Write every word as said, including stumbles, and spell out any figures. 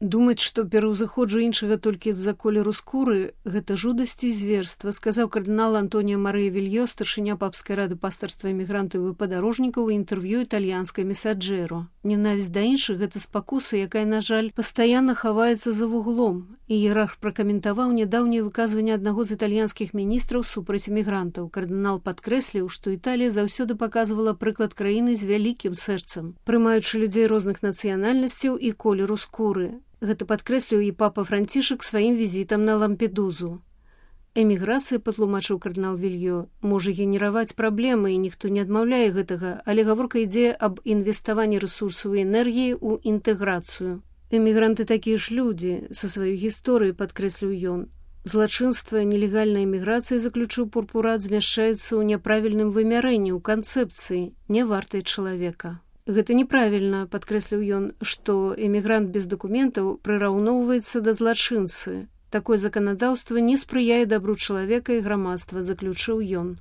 Думаць, што пераўзыходжу іншага толькі з-за колеру скуры – гэта жудасці і зверства, сказаў кардынал Антоніо Марыя Вільё, старшыня папскай рады пастарства эмігрантаў і падарожнікаў у інтэрв'ю італьянскай Месаджэро. Ненавісць да іншых – гэта спакуса, якая, на жаль, пастаянна хаваецца за вуглом. Іерарх пракаментаваў нядаўняе выказванне аднаго з італьянскіх міністраў супраць эмігрантаў. Кардынал падкрэсліў, што Італія заўсёды паказвала прыклад краіны з вялікім сэрцам, прымаючы людзей розных нацыянальнасцяў і колеру скуры. Гэта падкрэсліў і папа Францішак сваім візітам на Лампедузу. Эміграцыя, патлумачыў кардынал Вільё, можа генераваць праблемы, і ніхто не адмаўляе гэтага, але гаворка ідзе аб інвеставанні рэсурсаў і энергіі ў інтэграцыю. Эмігранты такія ж людзі, са сваёй гісторыяй, падкрэсліў ён. Злачынства нелегальнай эміграцыі, заключыў Пурпурат, змяшчаецца ў няправільным вымярэнні, ў канцэпцыі, не вартай чалавека. Гэта неправільна, падкрэсліў ён, што эмігрант без дакументаў прыраўноўваецца да злачынцы. Такое заканадаўства не спрыяе дабру чалавека і грамадства, заключыў ён.